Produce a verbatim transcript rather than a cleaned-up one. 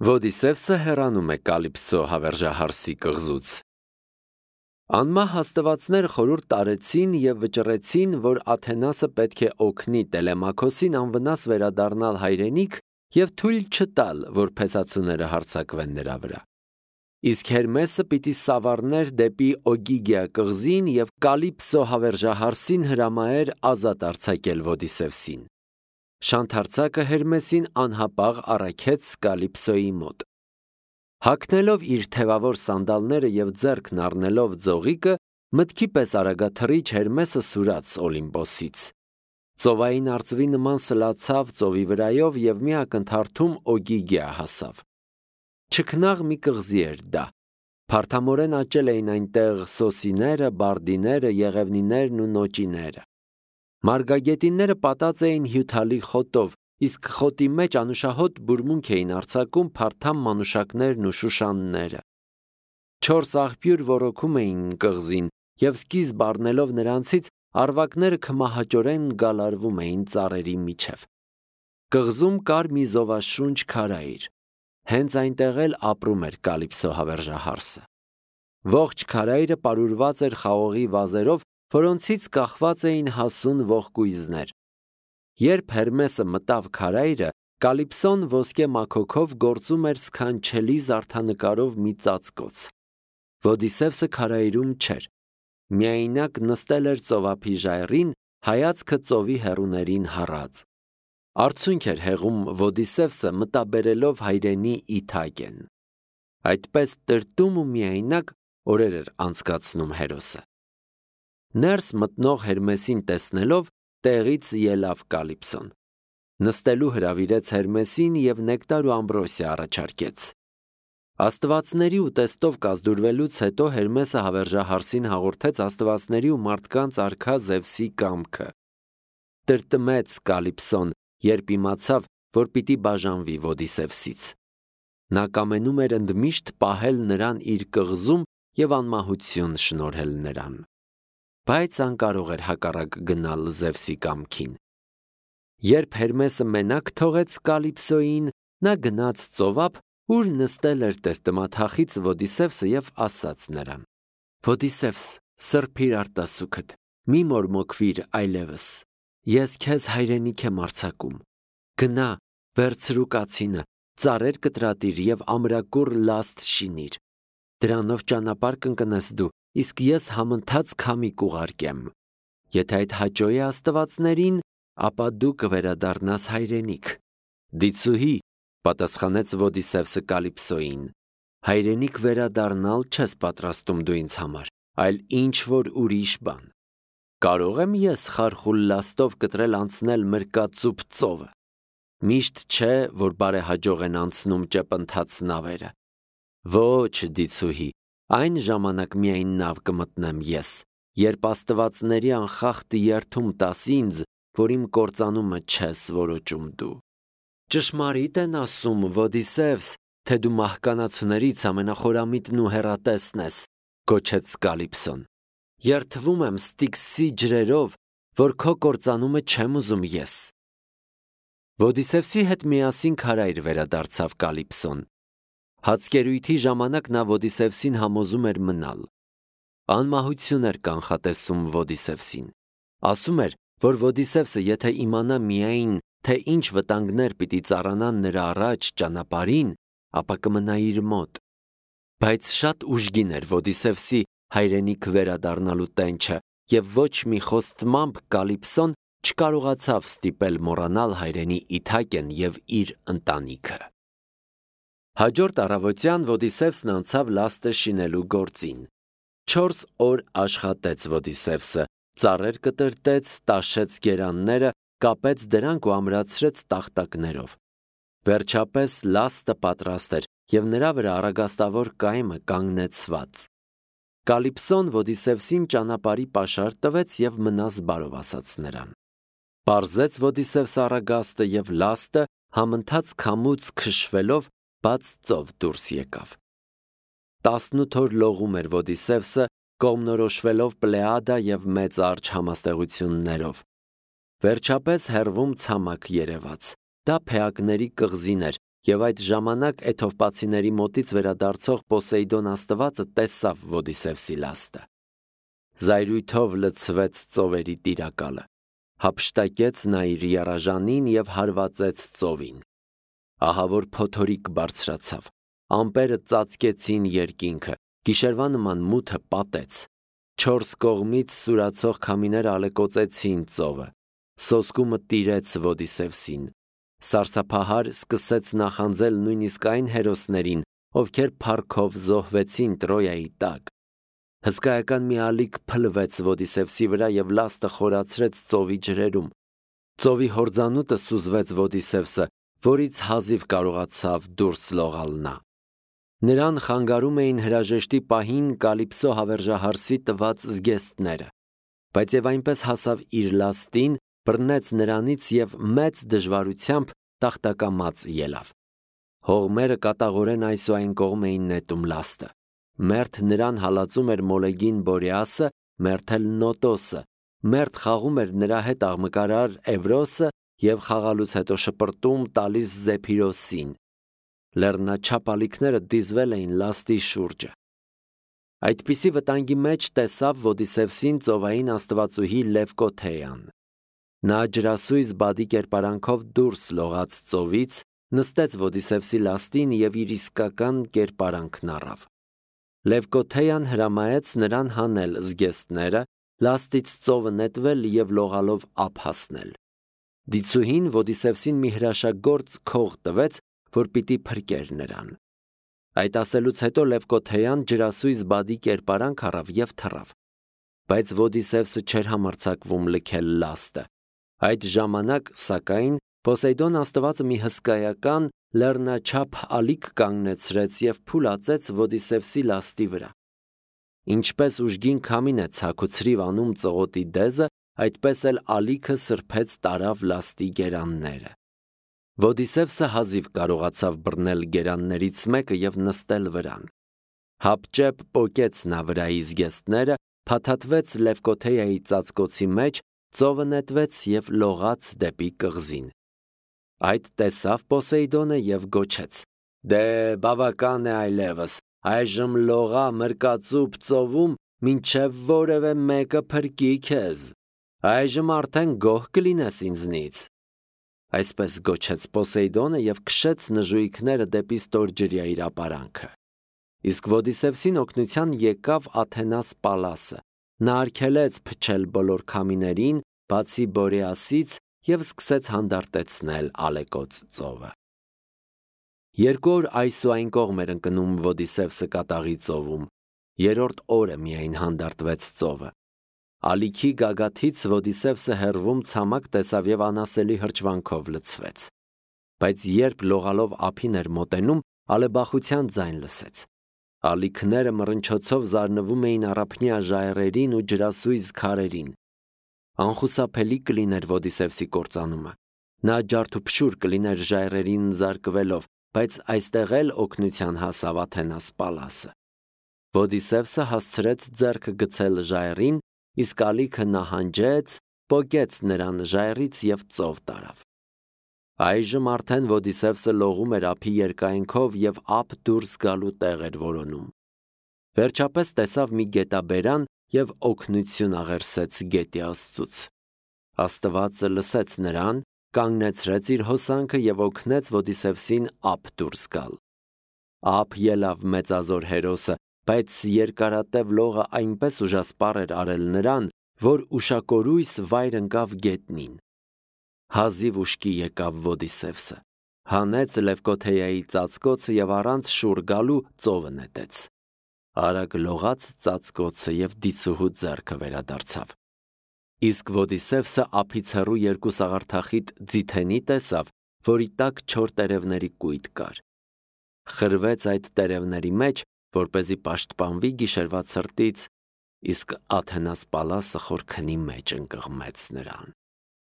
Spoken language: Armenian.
Ոդիսևսը հեռանում է Կալիպսո հավերժահարսի կղզուց։ Անմահ աստվածները խորհուրդ տարեցին և վճռեցին, որ Աթենասը պետք է օգնի Տելեմաքոսին անվնաս վերադառնալ հայրենիք և թույլ չտալ, որ փեսացուները հարձակվեն նրա վրա։ Իսկ Հերմեսը պիտի սավառներ դեպի Օգիգիա կղզին և Կալիպսո հավերժահարսին հրամայեր ազատ արձակել Ոդիսևսին։ Շանթարցակը Հերմեսին անհապաղ առաքեց Կալիպսոյի մոտ։ Հագնելով իր թևավոր սանդալները և ձեռքն առնելով ձողիկը, մտքի պես արագաթռիչ Հերմեսը սուրաց Օլիմպոսից։ Ծովային արծվի նման սլացավ ծովի վրայով և մի ակնթարթում Օգիգիա հասավ։ Չքնաղ մի կղզի էր դա։ Փարթամորեն աճել էին այնտեղ սոսիները, բարդիները, եղևնիներն ու նոճիները։ Մարգագետինները պատած էին հյութալի խոտով, իսկ խոտի մեջ անուշահոտ բուրմունք էին արձակում փարթամ մանուշակներն ու շուշանները։ Չորս աղբյուր ոռոգում էին կղզին, և սկիզբ առնելով նրանցից, արվակները քմահաճորեն գալարվում էին ծառերի միջև։ Կղզում կար մի զովաշունչ քարայր։ Հենց այնտեղ էլ ապրում էր Կալիպսո հավերժահարսը։ Ողջ քարայրը պարուրված էր խաղողի վազերով, որոնցից կախված էին հասուն ողկույզներ։ Երբ Հերմեսը մտավ քարայրը, Կալիպսոն ոսկե մաքոքով գործում էր սքանչելի զարդանկարով մի ծածկոց։ Ոդիսևսը քարայրում չէր։ Միայնակ նստել էր ծովափի ժայռին, հայացքը ծովի հեռուներին հառած։ Արցունք էր հեղում Ոդիսևսը մտաբերելով հայրենի Իթակեն։ Այդպես տրտում ու միայնակ օրեր էր անցկացնում հերոսը։ Ներս մտնող Հերմեսին տեսնելով տեղից ելավ Կալիպսոն։ Նստելու հրավիրեց Հերմեսին և նեկտար ու ամբրոսիա առաջարկեց։ Աստվածների ուտեստով կազդուրվելուց հետո Հերմեսը հավերժահարսին հաղորդեց աստվածների ու մարդկանց արքա Զևսի կամքը։ Տրտմեց Կալիպսոն, երբ իմացավ, որ պիտի բաժանվի Ոդիսևսից։ Նա կամենում էր ընդմիշտ պահել նրան իր կղզում և անմահություն շնորհել նրան։ Բայց անկարող էր հակառակ գնալ Զևսի կամքին։ Երբ Հերմեսը մենակ թողեց Կալիպսոյին, նա գնաց ծովափ, ուր նստել էր տրտմաթախիծ Ոդիսևսը և ասաց նրան. «Ոդիսևս, սրբիր արտասուքդ, մի մորմոքվիր այլևս, ես քեզ հայրենիք եմ արձակում։ Գնա, վերցրու կացինը, ծառեր կտրատիր և ամրակուռ լաստ շինիր։ Դրանով ճանապարհ կընկնես դու, իսկ ես համընթաց քամի կուղարկեմ։ Եթե այդ հաճո է աստվածներին, ապա դու կվերադառնաս հայրենիք»։ «Դիցուհի», պատասխանեց Ոդիսևսը Կալիպսոյին, հայրենիք վերադառնալ չես պատրաստում դու ինձ համար, այլ ինչ-որ ուրիշ բան։ Կարո՞ղ եմ ես խարխուլ լաստով կտրել անցնել Մրկածուփ ծովը։ Միշտ չէ, որ բարեհաջող են անցնում ճեպընթաց նավերը։ Ոչ, դիցուհի, այն ժամանակ միայն նավ կմտնեմ ես, երբ աստվածների անխախտ երդում տաս ինձ, որ իմ կործանումը չես որոճում դու։ Ճշմարիտ են ասում, Ոդիսևս, թե դու մահկանացուներից ամենախորամիտն ու հեռատեսն ես, գոչեց Կալիպսոն։ Երդվում եմ Ստիքսի ջրերով, որ քո կործանումը չեմ ուզում ես։ Ոդիսևսի հետ միասին քարայր վերադարձավ Կալիպսոն։ Հացկերույթի ժամանակ նա Ոդիսևսին համոզում էր մնալ։ Անմահություն էր կանխատեսում Ոդիսևսին։ Ասում էր, որ Ոդիսևսը եթե իմանա միայն, թե ինչ վտանգներ պիտի ծառանան նրա առաջ ճանապարհին, ապա կմնա իր մոտ։ Բայց շատ ուժգին էր Ոդիսևսի հայրենիք վերադառնալու տենչը, և ոչ մի խոստմամբ Կալիպսոն չկարողացավ ստիպել մոռանալ հայրենի Իթակեն և իր ընտանիքը։ Հաջորդ առավոտյան Ոդիսևսն անցավ լաստը շինելու գործին։ Չորս օր աշխատեց Ոդիսևսը, ծառեր կտրտեց, տաշեց գերանները, կապեց դրանք ու ամրացրեց տախտակներով։ Վերջապես լաստը պատրաստ էր, և նրա վրա առագաստավոր կայմը կանգնեցված։ Կալիպսոն Ոդիսևսին ճանապարհի պաշար տվեց և մնաս բարով ասաց նրան։ Պարզեց Ոդիսևսը առագաստը և լաստը համընթաց քամուց քշվելով բաց ծով դուրս եկավ։ Տասնութ օր լողում էր Ոդիսևսը, կողմնորոշվելով Պլեադա և Մեծ Արջը համաստեղություններով։ Վերջապես հեռվում ցամաք երևաց։ Դա Փեակների կղզին էր, Եվ այդ ժամանակ Էթովպացիների մոտից վերադարձող Պոսեյդոն աստվածը տեսավ Ոդիսևսի լաստը։ Զայրույթով լցվեց ծովերի տիրակալը, հափշտակեց նա իր եռաժանին և հարվածեց ծովին։ Ահա որ փոթորիկ բարձրացավ, ամպերը ծածկեցին երկինքը, գիշերվա նման մութը պատեց, չորս կողմից սուրացող քամիները ալեկոծեցին ծովը, սոսկումը տիրեց Ոդիսևսին, սարսափահար սկսեց նախանձել նույնիսկ այն հերոսներին, ովքեր փառքով զոհվեցին Տրոյայի տակ։ Հսկայական մի ալիք փլվեց Ոդիսևսի վրա և լաստը խորացրեց ծովի ջրերում։ Ծովի հորձանուտը սուզվեց Ոդիսևսը, որից հազիվ կարողացավ դուրս լողալ նա։ Նրան խանգարում էին հրաժեշտի պահին Կալիպսո հավերժահարսի տված զգեստները, բայց եւ այնպես հասավ իր լաստին, բռնեց նրանից և մեծ դժվարությամբ տախտակամած ելավ։ Հողմերը կատաղորեն այս ու այն կողմ էին նետում լաստը։ Մերթ նրան հալածում էր Մոլեգին Բորեասը, մերթ էլ Նոտոսը, մերթ խաղում էր նրա հետ աղմկարար Էվրոսը և խաղալուց հետո շպրտում տալիս Զեփիրոսին։ Լեռնաչափ ալիքները դիզվել էին լաստի շուրջը։ Այդպիսի վտանգի մեջ տեսավ Ոդիսևսին ծովային աստվածուհի Լևկոթեան։ Նա ջրասույզ բադի կերպարանքով դուրս լողաց ծովից, նստեց Ոդիսևսի լաստին և իր իսկական կերպարանքն առավ։ Լևկոթեան հրամայեց նրան հանել զգեստները, լաստից ծովը նետվել և լողալով ափ հասնել։ Դիցուհին Ոդիսևսին մի հրաշագործ քող տվեց, որ պիտի փրկեր նրան։ Այդ ասելուց հետո Լևկոթեան ջրասույզ բադի կերպարանք առավ և թռավ։ Բայց Ոդիսևսը չէր համարձակվում լքել լաստը։ Այդ ժամանակ, սակայն, Պոսեյդոն աստվածը մի հսկայական լեռնաչափ ալիք կանգնեցրեց և փուլացեց Ոդիսևսի լաստի վրա։ Ինչպես ուժգին քամին է ցաքուցրիվ անում ծղոտի դեզը, այդպես էլ ալիքը սրբեց տարավ լաստի գերանները։ Ոդիսևսը հազիվ կարողացավ բռնել գերաններից մեկը և նստել վրան։ Հապճեպ պոկեց նա վրայի զգեստները, փաթաթվեց Լևկոթեայի ծածկոցի մեջ, ծովը նետվեց և լողաց դեպի կղզին։ Այդ տեսավ Պոսեյդոնը և գոչեց. «Դե բավական է այլևս, այժմ լողա մրկածուփ ծովում, մինչև որևէ մեկը փրկի քեզ, այժմ արդեն գոհ կլինես ինձնից»։ Այսպես գոչեց Պոսեյդոնը և քշեց նժույգները դեպի ստորջրյա իր ապարանքը։ Իսկ Ոդիսևսին օգնության եկավ Աթենաս Պալասը։ Նա արգելեց փչել բոլոր քամիներին, բացի Բորեասից, և սկսեց հանդարտեցնել ալեկոծ ծովը։ Երկու օր այս ու այն կողմ էր ընկնում Ոդիսևսը կատաղի ծովում, երրորդ օրը միայն հանդարտվեց ծովը։ Ալիքի գագաթից Ոդիսևսը հեռվում ցամաք տեսավ և անասելի հրճվանքով լցվեց։ Բայց երբ լողալով ափին էր մոտենում, ալեբախության ձայն լսեց։ Ալիքները մռնչոցով զարնվում էին առափնյա ժայռերին ու ջրասույզ քարերին։ Անխուսափելի կլիներ Ոդիսևսի կործանումը։ Նա ջարդուփշուր կլիներ ժայռերին զարկվելով, բայց այստեղ էլ օգնության հասավ Աթենաս Պալասը։ Ոդիսևսը հասցրեց ձեռքը գցել ժայռին, իսկ ալիքը նահանջեց, պոկեց նրան ժայռից և ծով տարավ։ Այժմ արդեն Ոդիսևսը լողում էր ափի երկայնքով և ափ դուրս գալու տեղ էր որոնում։ Վերջապես տեսավ մի գետաբերան և օգնություն աղերսեց գետի Աստծուց։ Աստվածը լսեց նրան, կանգնեցրեց իր հոսանքը և օգնեց Ոդիսևսին ափ դուրս գալ։ Ափ ելավ մեծազոր հերոսը, բայց երկարատև լողը այնպես ուժասպառ էր արել նրան, որ ուշակորույս վայր ընկավ գետնին։ Հազիվ ուշքի եկավ Ոդիսևսը, հանեց Լևկոթեայի ծածկոցը և առանց շուռ գալու ծովը նետեց։ Արագ լողաց ծածկոցը և դիցուհու ձեռքը վերադարձավ։ Իսկ Ոդիսևսը ափից հեռու երկու սաղարթախիտ ձիթենի տեսավ, որի տակ չոր տերևների կույտ կար։ Խրվեց այդ տերևների մեջ, որպեսզի պաշտպանվի գիշերվա ցրտից, իսկ Աթենաս Պալասը խորքնի մեջ ընկղմեց նրան։